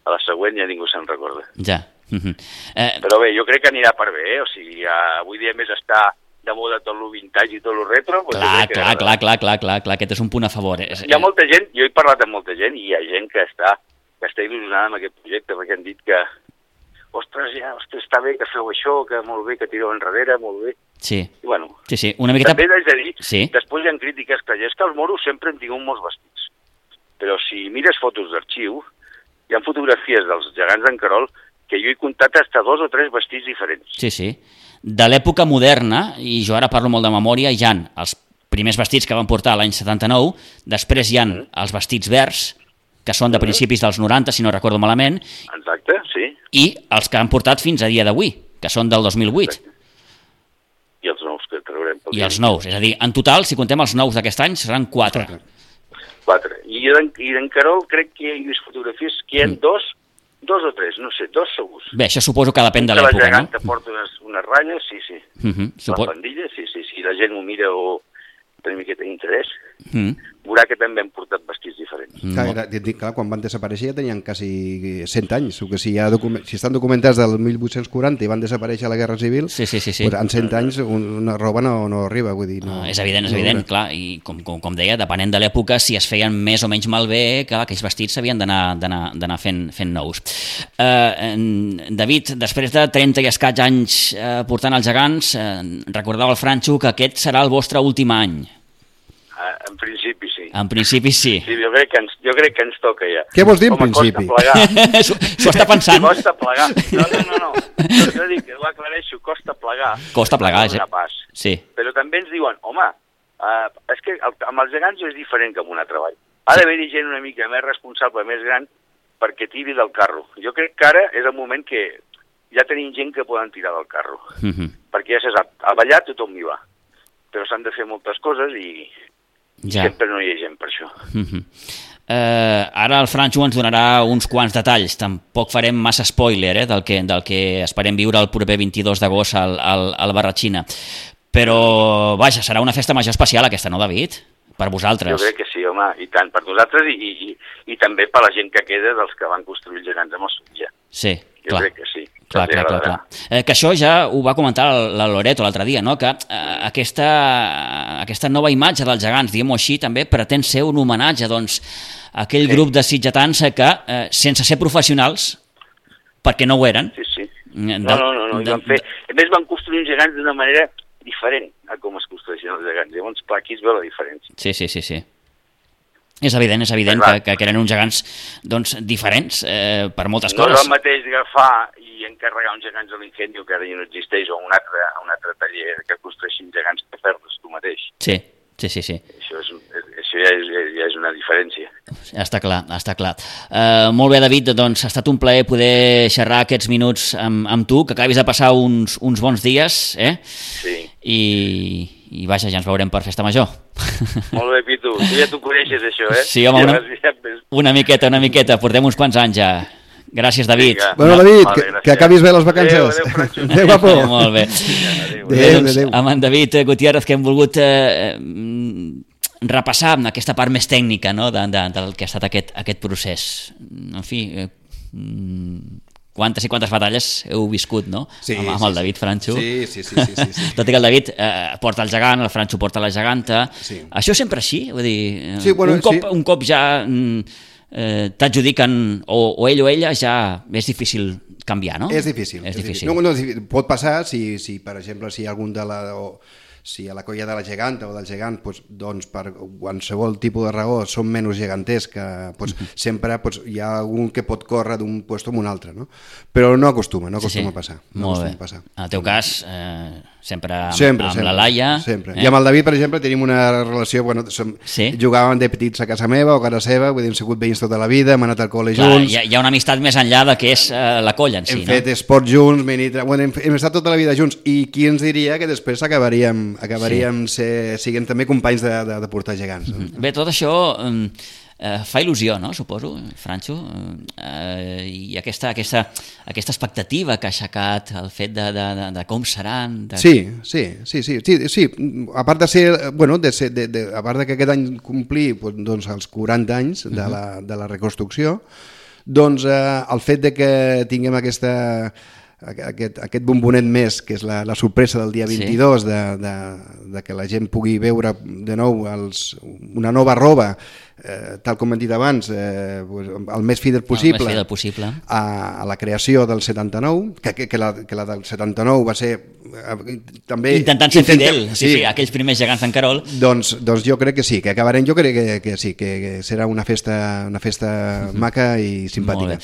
A la següent ja ningú se'n recorda. Ja. Uh -huh. eh... Però bé, jo crec que anirà per bé, eh? O sigui, ja, avui dia més està de moda tot lo vintage i tot lo retro. Doncs clar, clar, clar, clar, clar, clar, clar, aquest és un punt a favor. És, hi ha molta gent, jo he parlat amb molta gent, i hi ha gent que està, que està il·lusionada amb aquest projecte, perquè han dit que, ostres, ja, ostres, està bé que feu això, que molt bé, que tireu enrere, molt bé. Sí, I, bueno, sí, sí, una miqueta... també haig de dir, sí. Després hi ha crítiques que és que els moros sempre han tingut molts vestits, però si mires fotos d'arxiu, hi ha fotografies dels gegants d'en Querol que jo he comptat hasta dos o tres vestits diferents. Sí, sí. De l'època moderna, i jo ara parlo molt de memòria, hi ha els primers vestits que van portar l'any setanta-nou, després hi ha mm. els vestits verds, que són de principis dels noranta, si no recordo malament. Exacte, sí. I els que han portat fins a dia d'avui, que són del dos mil vuit. Exacte. I els nous que traurem. I els nous, és a dir, en total, si contem els nous d'aquest any, seran quatre. Quatre. I d'en Querol crec que he vist fotografies que hi ha mm. dos, dos o tres, no sé, dos segurs. Bé, això suposo que depèn de l'època, no? La geganta porta unes, unes ratlles, sí, sí. Uh -huh. Supo... La pandilla, sí, sí, sí. La gent ho mira o té una miqueta d'interès. Mm. Veurà que també han portat vestits diferents. Mm. Clar, era, dic, clar, quan van desaparèixer ja tenien quasi cent anys, o que si, ha document, si estan documentats del mil vuit-cents quaranta i van desaparèixer a la Guerra Civil, sí, sí, sí, sí. Pues en cent anys una roba no, no arriba, vull dir... No, no, és evident, és no evident, no clar, i com, com, com deia, depenent de l'època, si es feien més o menys malbé, que aquells vestits s'havien d'anar fent, fent nous. Eh, David, després de trenta i escaig anys eh, portant els gegants, eh, recordava el Franxo que aquest serà el vostre últim any. Uh, en principi sí. En principi sí. Sí, jo crec que ens, jo crec que ens toca ja. Què vols dir en Home, principi? S'ho està pensant. Costa plegar. No, no, no, no. Jo dic, ho aclareixo, costa plegar. Costa plegar, ja. Pas. Sí. Però també ens diuen, home, uh, és que el, amb els gegants és diferent que amb un altre treball. Ha d'haver-hi gent una mica més responsable, més gran, perquè tiri del carro. Jo crec que ara és el moment que ja tenim gent que poden tirar del carro. Uh -huh. Perquè ja se sap, a ballar tothom hi va. Però s'han de fer moltes coses i... Ja. Sempre no hi ha gent per això. Uh -huh. eh, ara el Franxo ens donarà uns quants detalls. Tampoc farem massa spoiler eh, del, que, del que esperem viure el proper vint-i-dos d'agost al, al, al Barratxina. Però, vaja, serà una festa major especial aquesta, no, David? Per vosaltres. Jo crec que sí, home, i tant, per nosaltres i, i, i, i també per la gent que queda dels que van construir els gegants amb el Sotja. Sí, jo clar. crec que sí. Clar, clar, clar, clar. Eh, que això ja ho va comentar la Loreto l'altre dia, no? Que eh, aquesta, aquesta nova imatge dels gegants, diguem-ho així, també pretén ser un homenatge doncs, a aquell sí. grup de sitgetans que, eh, sense ser professionals, perquè no ho eren... Sí, sí. De, no, no, no, no. De, van fer... A més, van construir els gegants d'una manera diferent a com es construeixen els gegants. Llavors, clar, aquí es veu la diferència. Sí, sí, sí, sí. És evident, és evident que, que eren uns gegants doncs, diferents eh, per moltes no coses. No és el mateix agafar i encarregar uns gegants a l'Ingenio, que ara ja no existeix, o un altre, un altre taller que construeixin gegants que fer-los tu mateix. Sí, sí, sí. sí. Això, és, això ja, és, ja és una diferència. Està clar, està clar. Uh, molt bé, David, doncs ha estat un plaer poder xerrar aquests minuts amb, amb tu, que acabis de passar uns, uns bons dies, eh? Sí. I, i vaja, ja ens veurem per Festa Major. Molt bé, Pitu. Tu ja t'ho coneixes, això, eh? Sí, home, una, una miqueta, una miqueta. Portem uns quants anys ja. Gràcies, David. Vinga. Bueno, David, Vale, que, gràcies. que acabis bé les vacances. Adéu, adéu, Franxo. Adéu, guapo. Molt bé. Adéu, Bé, adéu. doncs, Adéu. amb en David Gutiérrez, que hem volgut eh, repassar aquesta part més tècnica, no?, de, de, del que ha estat aquest, aquest procés. En fi, eh, quantes i quantes batalles heu viscut, no?, Sí, amb, amb sí, el David sí. Franxo. Sí, sí, sí, sí, sí, sí. Tot i que el David eh, porta el gegant, el Franxo porta la geganta. Sí. Això sempre així? Vull dir, eh, Sí, bueno, un, cop, sí. un cop ja mm, eh, t'adjudiquen, o, o ell o ella, ja és difícil canviar, no? És difícil. És és difícil. No, no, és difícil. Pot passar si, si, per exemple, si hi ha algun de la... O, si a la colla de la geganta o del gegant, doncs, doncs per qualsevol tipus de raó són menys geganters, que doncs, uh-huh. sempre doncs, hi ha algun que pot córrer d'un lloc a un altre, no? Però no acostuma, no acostuma sí, sí. a passar. No Molt acostuma bé. a passar. En el teu cas, eh, sempre amb, Sempre, amb sempre, la Laia. sempre. Eh? I amb el David, per exemple, tenim una relació... Bueno, som, Sí. Jugàvem de petits a casa meva o a casa seva, vull dir, hem sigut veïns tota la vida, hem anat al col·le Clar, junts, hi, ha, hi ha una amistat més enllà de que és eh, la colla en si, hem no? fet esport junts, menit, bueno, hem, hem estat tota la vida junts, i qui ens diria que després acabaríem, acabaríem sí. ser, siguent també companys de, de, de portar gegants. No? Bé, tot això eh, eh, fa il·lusió, no?, suposo, Franxo, eh, i aquesta, aquesta, aquesta expectativa que ha aixecat el fet de, de, de, de com seran... De... Sí, sí, sí, sí, sí, sí, a part de ser, bueno, de ser, de, de, a part de que aquest any complir doncs, els quaranta anys de la, de la reconstrucció, doncs eh, el fet de que tinguem aquesta... Aquest, aquest bombonet més, que és la, la sorpresa del dia vint-i-dos, sí. de, de, de que la gent pugui veure de nou els, una nova roba, eh, tal com hem dit abans, eh, el més fidel possible, el més fidel possible. A, a la creació del setanta-nou, que, que, que, la, que la del setanta-nou va ser eh, també... Intentant ser intentem, fidel, sí, sí, sí, aquells primers gegants d'en Carol. Doncs, doncs jo crec que sí, que acabarem, jo crec que, que sí, que, que serà una festa, una festa mm-hmm. maca i simpàtica.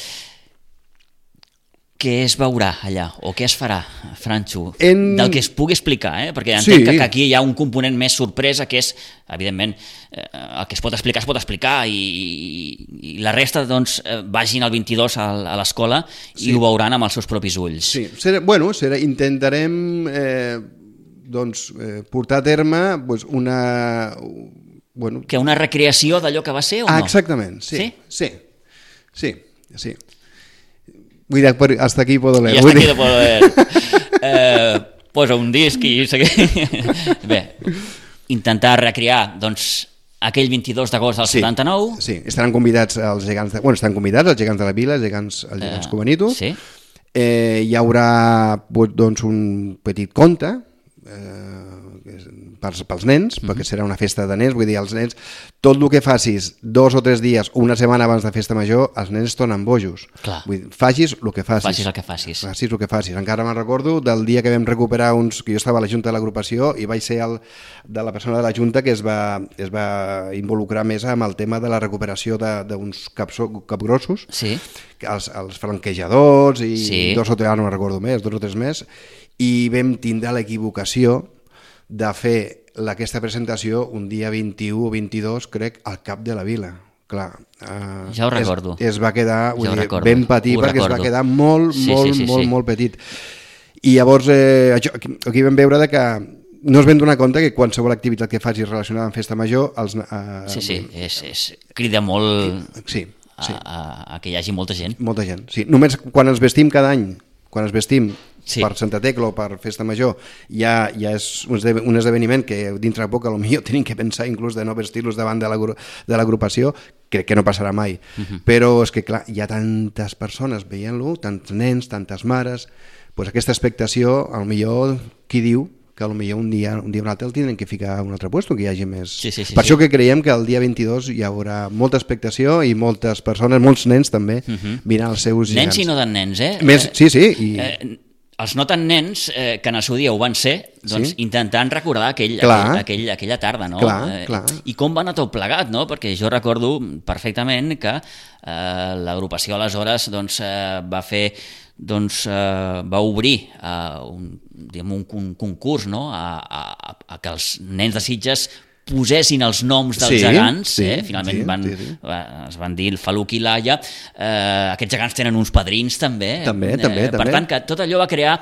Què es veurà allà, o què es farà, Franxo? En... Del que es pugui explicar, eh? Perquè entenc Sí. que, que aquí hi ha un component més sorpresa, que és, evidentment, eh, el que es pot explicar es pot explicar, i, i, i la resta, doncs, eh, vagin el vint-i-dos a, a l'escola Sí. i ho veuran amb els seus propis ulls. Sí, serà, bueno, serà, intentarem eh, doncs, eh, portar a terme doncs, una... Bueno, Que una recreació d'allò que va ser o ah, no? exactament, sí, Sí? sí, sí, sí. Vull dir, per- hasta aquí puedo leer. I vull hasta aquí dir- de poder eh, posa un disc i seguir. Bé, intentar recrear doncs, aquell vint-i-dos d'agost del Sí, setanta-nou. sí, estaran convidats els gegants de, bueno, estan convidats els gegants de la vila, els gegants, els gegants Eh, Comanito. sí. Eh, hi haurà doncs, un petit conte eh, pels, pels nens, mm-hmm. perquè serà una festa de nens, vull dir, els nens, tot el que facis dos o tres dies o una setmana abans de festa major, els nens es tornen bojos. Clar. Vull dir, facis el que facis. Facis el que facis. Facis el que facis. Encara me'n recordo del dia que vam recuperar uns... que jo estava a la junta de l'agrupació i vaig ser el, de la persona de la junta que es va, es va involucrar més amb el tema de la recuperació d'uns caps, capgrossos, Sí. els, els flanquejadors i Sí. dos o tres, ara no me'n recordo més, dos o tres més, i vam tindre l'equivocació de fer la, aquesta presentació un dia vint-i-u o vint-i-dos, crec, al cap de la vila. Clar, eh, Ja ho recordo. Es, es va quedar vull Ja ho dir, recordo, ben petit ho perquè recordo. es va quedar molt, Sí, molt, sí, sí, molt, sí. molt petit. I llavors eh, això, aquí, aquí vam veure de que no es vam donar compte que qualsevol activitat que facis relacionada amb festa major els, eh, Sí, sí, és, és, crida molt sí, sí. a, a, a que hi hagi molta gent. Molta gent, sí. Només quan ens vestim cada any, quan ens vestim Sí. per Santa Tecla o per Festa Major, ja, ja és un esde- un esdeveniment que dintre de poc potser tenim que pensar inclús de no vestir-los davant de l'agru- de l'agrupació, crec que no passarà mai. Uh-huh. Però és que, clar, hi ha tantes persones veient-lo, tants nens, tantes mares, doncs aquesta expectació, potser qui diu que potser un dia, un dia o un altre el tindrem que ficar a un altre lloc, que hi hagi més... Sí, sí, sí, per sí. això que creiem que el dia vint-i-dos hi haurà molta expectació i moltes persones, molts nens també, uh-huh. mirant els seus gegants. Nens i no tan nens, eh? Més, sí, sí. I... Eh, els no tan nens, eh, que en el seu dia ho van ser, doncs Sí. intentant recordar aquell, Clar. aquell, aquell, aquella tarda, no? Clar, eh, clar. I com va anar tot plegat, no? Perquè jo recordo perfectament que eh, l'agrupació aleshores doncs, eh, va fer doncs, eh, va obrir eh, un, diguem, un, un concurs, no? a, a, a que els nens de Sitges posessin els noms dels Sí, gegants, sí, eh? finalment sí, van, sí, sí. es van dir el Faluc i l'Aia, eh, aquests gegants tenen uns padrins també, També, eh, també, per també. tant que tot allò va crear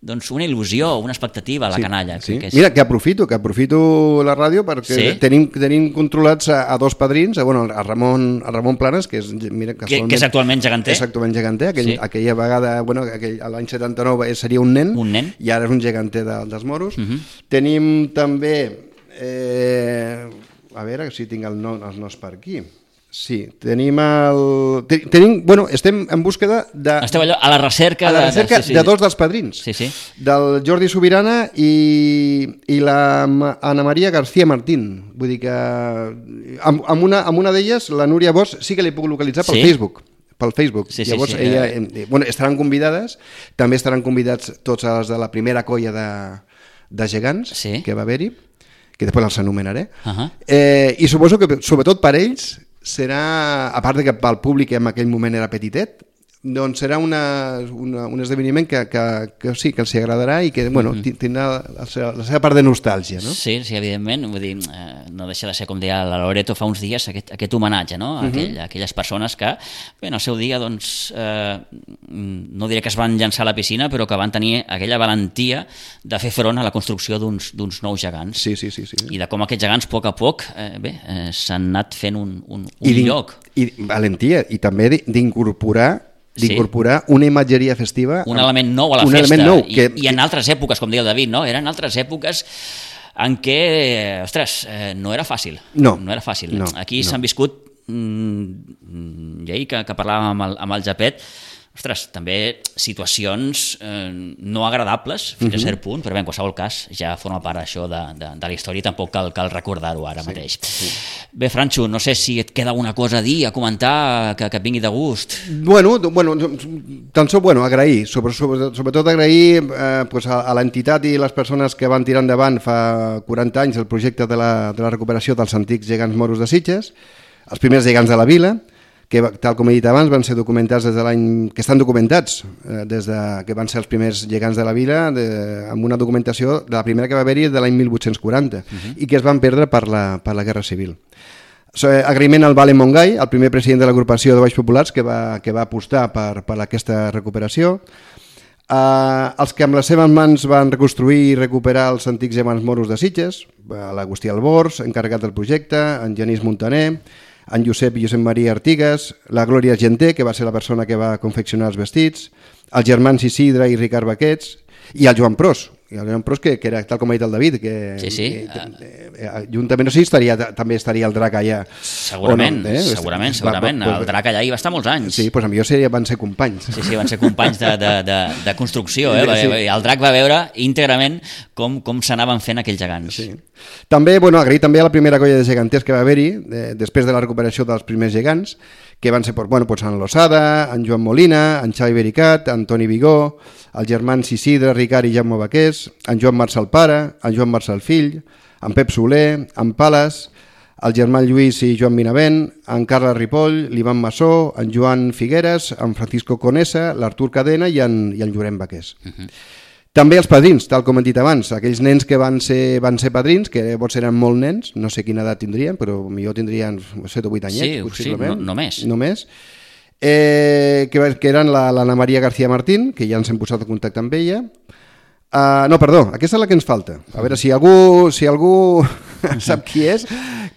doncs, una il·lusió, una expectativa a la Sí, canalla. sí. Que és... Mira, que aprofito, que aprofito la ràdio perquè Sí. tenim, tenim controlats a, a dos padrins, a, bueno, a, Ramon, a Ramon Planes, que és, mira, que, que és actualment geganter. És actualment geganter, aquell, Sí. aquella vegada, bueno, aquell, l'any setanta-nou seria un nen, Un nen. i ara és un geganter de, dels moros. Uh -huh. Tenim també, eh, a veure si tinc el nom, els noms per aquí. Sí, tenim el... Ten, tenim, bueno, estem en búsqueda de... Esteu allò a la recerca, a la de- recerca de, sí, sí. de dos dels padrins, Sí, sí. del Jordi Sobirana i, i la Ma- Ana Maria García Martín. Vull dir que amb, amb una, amb una d'elles, la Núria Bosch, sí que l'he pogut localitzar pel Sí? Facebook. Pel Facebook. Sí, sí, Llavors, sí. ella, eh, bueno, estaran convidades, també estaran convidats tots els de la primera colla de, de gegants Sí. que va haver-hi, que després els anomenaré. Uh -huh. eh, I suposo que, sobretot per ells, serà, a part de que pel públic en aquell moment era petitet, doncs serà una, una, un esdeveniment que, que, que sí, que els agradarà i que, bueno, mm-hmm. tindrà la seva, la seva part de nostàlgia, no? Sí, sí, evidentment, vull dir, eh, no deixa de ser, com deia la Loreto fa uns dies, aquest, aquest homenatge, no? A, aquell, a aquelles persones que, bé, en el seu dia, doncs, eh, no diré que es van llançar a la piscina, però que van tenir aquella valentia de fer front a la construcció d'uns d'uns nous gegants. Sí, sí, sí. sí. I de com aquests gegants, a poc a poc, eh, bé, eh, s'han anat fent un, un, un I d'in- lloc. I valentia, i també d'in- d'incorporar Sí. d'incorporar una imatgeria festiva... Un amb- element nou a la un festa. element nou, I, que, I en altres èpoques, com deia el David, no? Eren altres èpoques en què, ostres, eh, no era fàcil. No. No era fàcil. No, Aquí no. s'han viscut, mm, i ahir que, que parlàvem amb el, amb el Japet, ostres, també situacions eh, no agradables fins Mhm. a cert punt, però bé, en qualsevol cas ja forma part això de, de, de la història i tampoc cal, cal recordar-ho ara sí, mateix. Sí. Bé, Franxo, no sé si et queda alguna cosa a dir, a comentar, que, que et vingui de gust. Bueno, d- bueno, tan sols bueno, agrair, sobre, sobre, sobretot agrair eh, pues a, a l'entitat i les persones que van tirar endavant fa quaranta anys el projecte de la, de la recuperació dels antics gegants moros de Sitges, els primers gegants de la vila, que, tal com he dit abans, van ser documentats des de l'any... que estan documentats eh, des de que van ser els primers gegants de la vila, de, amb una documentació de la primera que va haver-hi de l'any mil vuit-cents quaranta, uh-huh. i que es van perdre per la, per la Guerra Civil. So, eh, agraïment al Valen Montgai, el primer president de l'agrupació de Baix Populars, que va, que va apostar per, per aquesta recuperació. Uh, els que amb les seves mans van reconstruir i recuperar els antics gegants moros de Sitges, uh, l'Agustí Albors, encarregat del projecte, en Genís Montaner, en Josep i Josep Maria Artigas, la Glòria Argenter, que va ser la persona que va confeccionar els vestits, els germans Isidre i Ricard Baquets, i el Joan Pros, i el Joan Pros que, que era tal com ha dit el David, que, Sí, sí. que eh, juntament, no sé si estaria, també estaria el drac allà. Segurament, o no, eh? segurament, Va- segurament. va- El drac allà hi va estar molts anys. Sí, doncs millor seria, van ser companys. Sí, sí, van ser companys de, de, de, de construcció. Eh? Sí. El drac va veure íntegrament com, com s'anaven fent aquells gegants. Sí. També, bueno, agrair també a la primera colla de geganters que va haver-hi, eh, després de la recuperació dels primers gegants, que van ser bueno, pues, en Losada, en Joan Molina, en Xavi Bericat, en Toni Vigó, els germans Isidre, Ricard i Jaume Baqués, en Joan Marçal Pare, en Joan Marçal Fill, en Pep Soler, en Pales, el germà Lluís i Joan Minavent, en Carles Ripoll, l'Ivan Massó, en Joan Figueres, en Francisco Conesa, l'Artur Cadena i en, i en Llorenç Baqués. Uh -huh. També els padrins, tal com hem dit abans, aquells nens que van ser, van ser padrins, que llavors eren molt nens, no sé quina edat tindrien, però millor tindrien set o vuit anyets, Sí, possiblement. sí, no- només. Només. Eh, que, que eren la- l'Anna Maria García Martín, que ja ens hem posat en contacte amb ella. Uh, no, perdó, aquesta és la que ens falta. A veure, si algú, si algú sap qui és,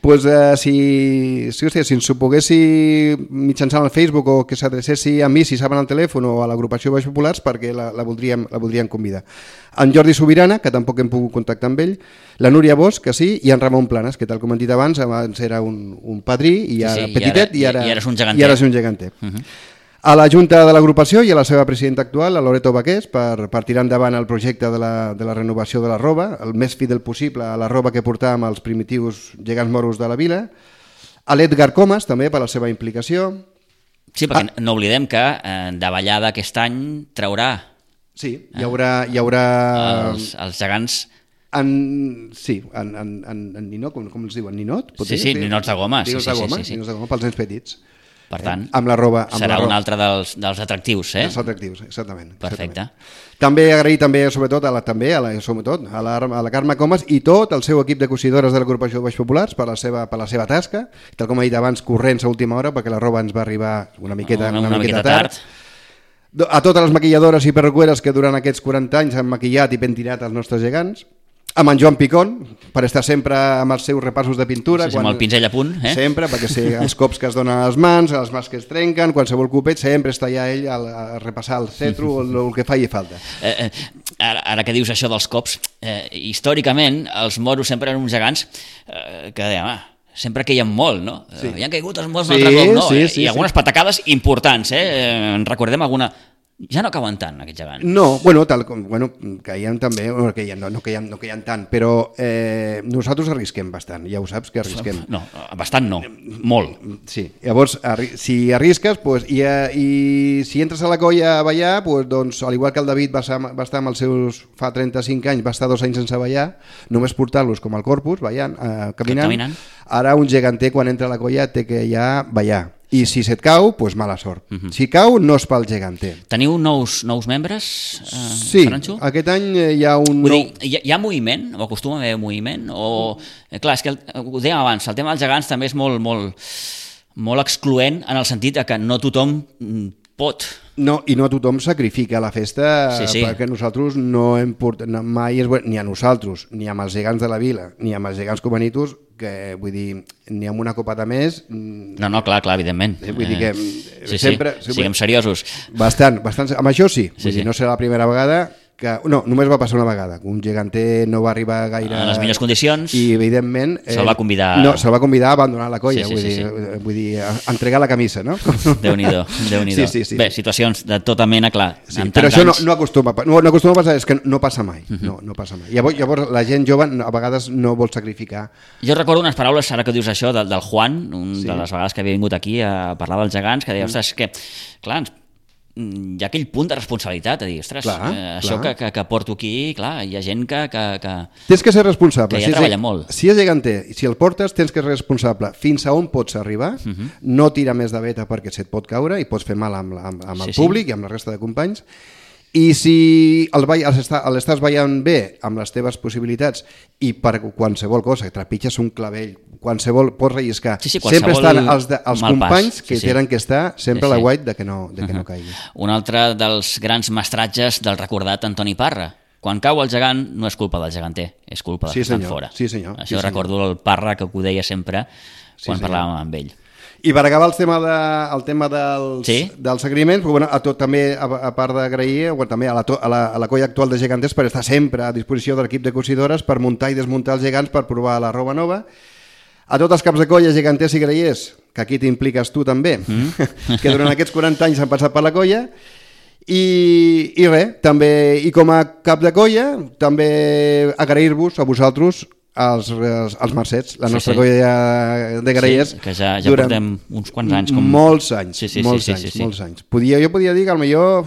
pues, uh, si, si, hòstia, si ens ho poguessi mitjançant el Facebook o que s'adrecessi a mi, si saben el telèfon, o a l'agrupació Baix Populars, perquè la, la, voldríem, la voldríem convidar. En Jordi Sobirana, que tampoc hem pogut contactar amb ell, la Núria Bosch, que sí, i en Ramon Planes, que tal com hem dit abans, abans era un, un padrí, i ara Sí, sí, i petitet, ara- i ara, i ara és un geganter. I ara és un geganter. Uh -huh. A la Junta de l'agrupació i a la seva presidenta actual, la Loreto Baqués, per, per tirar endavant el projecte de la, de la renovació de la roba, el més fidel possible a la roba que portàvem els primitius gegants moros de la vila. A l'Edgar Comas, també, per la seva implicació. Sí, perquè ah. no oblidem que eh, de ballada aquest any traurà Sí, hi haurà... Hi haurà els, els gegants... en, sí, en, en, en, en ninot, com, com els diuen? Ninot? Pot Sí, dir? sí, ninots de goma. Sí, Ninots sí, de sí, goma, sí, sí. ninots de goma pels nens petits. Per tant, amb la roba, amb serà la roba. un altre dels, dels atractius, eh? Els atractius, exactament. Perfecte. Exactament. També agrair també, sobretot, a la, també, a la, sobretot, a la, a la Carme Comas i tot el seu equip de cosidores de l'agrupació Baix Populars per la seva, per la seva tasca, tal com he dit abans, corrents a última hora, perquè la roba ens va arribar una miqueta, una, una, una miqueta, miqueta tard. tard. A totes les maquilladores i perruqueres que durant aquests quaranta anys han maquillat i pentinat els nostres gegants, amb en Joan Picón, per estar sempre amb els seus repassos de pintura. Sí, sí, amb el pinzell a punt. Eh? Sempre, perquè sé els cops que es donen a les mans, les mans que es trenquen, qualsevol copet, sempre està allà ell a, a repassar el cetro o el, el que faci falta. Eh, eh, ara, ara que dius això dels cops, eh, històricament els moros sempre eren uns gegants eh, que deien, ah, sempre queien molt, no? Sí. Hi han caigut els moros un sí, altre cop, no? Sí, sí, I algunes sí. patacades importants, eh? En recordem alguna... Ja no cauen tant, aquests gegants. No, bueno, tal com, bueno, caiem també, no caiem, no, no, caiem, no caiem tant, però eh, nosaltres arrisquem bastant, ja ho saps que arrisquem. No, bastant no, molt. Sí, llavors, arri si arrisques, pues, i, i si entres a la colla a ballar, pues, doncs, al igual que el David va, va estar amb els seus, fa trenta-cinc anys, va estar dos anys sense ballar, només portar-los com al corpus, ballant, eh, caminant. caminant, ara un geganter quan entra a la colla té que ja ballar. I si se't cau, doncs mala sort. Uh -huh. Si cau, no és pel geganter. Teniu nous, nous membres, eh, sí, Franxo? Aquest any hi ha un... Vull nou... dir, hi ha, hi ha moviment? O acostuma a haver moviment? O... Eh, clar, és que el, ho dèiem abans, el tema dels gegants també és molt, molt, molt excloent en el sentit que no tothom pot. No, i no tothom sacrifica la festa, sí, sí. perquè nosaltres no hem portat mai, és, ni a nosaltres, ni amb els gegants de la vila, ni amb els gegants comanitos, que vull dir, ni amb una copata més... No, no, clar, clar, evidentment. Eh, vull dir que sí, sempre... Sí, siguem seriosos. Bastant, bastant, amb això sí, sí, vull sí. dir, no serà la primera vegada que... No, només va passar una vegada, un geganter no va arribar gaire... En les millors condicions. I, evidentment... Eh, se'l va convidar... No, se'l va convidar a abandonar la colla, sí, sí, vull, sí, dir, sí. vull dir, a entregar la camisa, no? Déu-n'hi-do, Déu-n'hi-do. Sí, sí, sí. Bé, situacions de tota mena, clar. Sí, però això no, no, acostuma, no, no acostuma a passar, és que no passa mai. Uh -huh. no, no passa mai. Llavors, llavors la gent jove a vegades no vol sacrificar. Jo recordo unes paraules, ara que dius això, del, del Juan, un sí. de les vegades que havia vingut aquí a parlar dels gegants, que deia, ostres, que, clar, ens hi ha aquell punt de responsabilitat, a dir, ostres, clar, eh, això clar. Que, que, que porto aquí, clar, hi ha gent que... que, que tens que ser responsable. Que ja si treballa és, molt. Si és geganter i si el portes, tens que ser responsable. Fins a on pots arribar, uh -huh. no tira més de veta perquè se't pot caure i pots fer mal amb, amb, amb el sí, públic sí. i amb la resta de companys. I si l'estàs ballant bé amb les teves possibilitats i per qualsevol cosa, trepitges un clavell, qualsevol pots relliscar, sí, sí, sempre estan els, de, els companys que sí, sí. tenen que estar sempre sí, sí. a la guait de que no, de que uh -huh. no caigui. Un altre dels grans mestratges del recordat Antoni Parra. Quan cau el gegant no és culpa del geganter, és culpa dels sí, que estan senyor. fora. Sí, senyor. Això sí, recordo senyor. el Parra que ho deia sempre quan sí, parlàvem amb ell. I per acabar el tema, de, el tema dels, sí? dels agraïments, bueno, a tot també, a, a part d'agrair, bueno, també a la, a, la, a la colla actual de geganters per estar sempre a disposició de l'equip de cosidores per muntar i desmuntar els gegants per provar la roba nova. A tots els caps de colla, geganters i grallers, que aquí t'impliques tu també, mm. que durant aquests quaranta anys han passat per la colla, i, i res, també, i com a cap de colla, també agrair-vos a vosaltres els, els, els mercets, la sí, nostra sí. colla de grallers, sí, que ja, ja portem uns quants anys com... molts anys, sí, sí, molts sí, anys, sí, sí, molts anys. Podia, jo podia dir que potser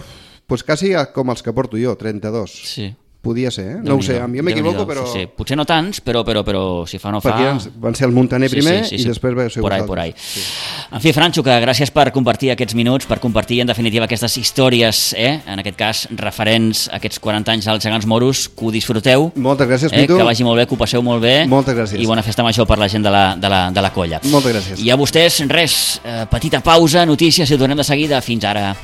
pues, quasi com els que porto jo, trenta-dos. Sí. Podia ser, eh? No ho sé, a mi m'equivoco, però... Sí, sí. Potser no tants, però, però, però si fa no fa... Perquè van ser el Montaner primer sí, sí, sí, i després va ser por ahí, por ahí. Sí. En fi, Franxo, que gràcies per compartir aquests minuts, per compartir en definitiva aquestes històries, eh? En aquest cas referents a aquests quaranta anys als gegants moros, que ho disfruteu. Moltes gràcies, eh? Pitu. Que vagi molt bé, que ho passeu molt bé. Moltes gràcies. I bona festa major per la gent de la, de la, de la colla. Moltes gràcies. I a vostès, res, eh, petita pausa, notícies i ho tornem de seguida. Fins ara.